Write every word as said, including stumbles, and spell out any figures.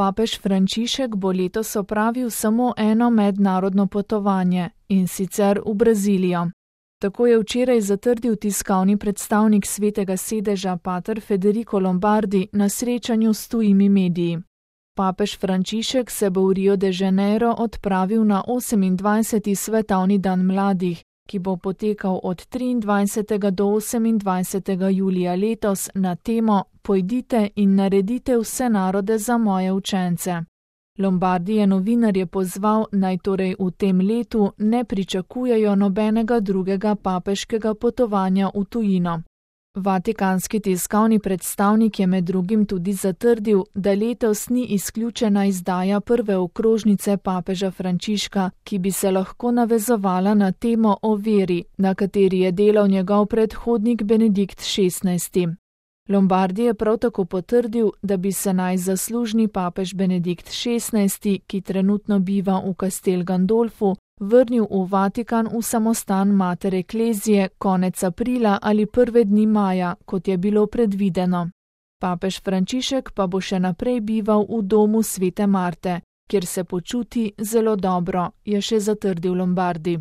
Papež Frančišek bo letos opravil samo eno mednarodno potovanje, in sicer v Brazilijo. Tako je včeraj zatrdil tiskovni predstavnik Svetega sedeža pater Federico Lombardi na srečanju s tujimi mediji. Papež Frančišek se bo v Rio de Janeiro odpravil na osemindvajseti svetovni dan mladih, ki bo potekal od triindvajsetega do osemindvajsetega julija letos na temo Pojdite in naredite vse narode za moje učence. Lombardi je novinarje pozval, naj torej v tem letu ne pričakujejo nobenega drugega papeškega potovanja v tujino. Vatikanski tiskovni predstavnik je med drugim tudi zatrdil, da letos ni izključena izdaja prve okrožnice papeža Frančiška, ki bi se lahko navezovala na temo o veri, na kateri je delal njegov predhodnik Benedikt šestnajsti. Lombardi je prav tako potrdil, da bi se naj zaslužni papež Benedikt šestnajsti, ki trenutno biva v Castel Gandolfu, vrnil v Vatikan v samostan Mater Ecclesiae konec aprila ali prve dni maja, kot je bilo predvideno. Papež Frančišek pa bo še naprej bival v domu Svete Marte, kjer se počuti zelo dobro, je še zatrdil Lombardi.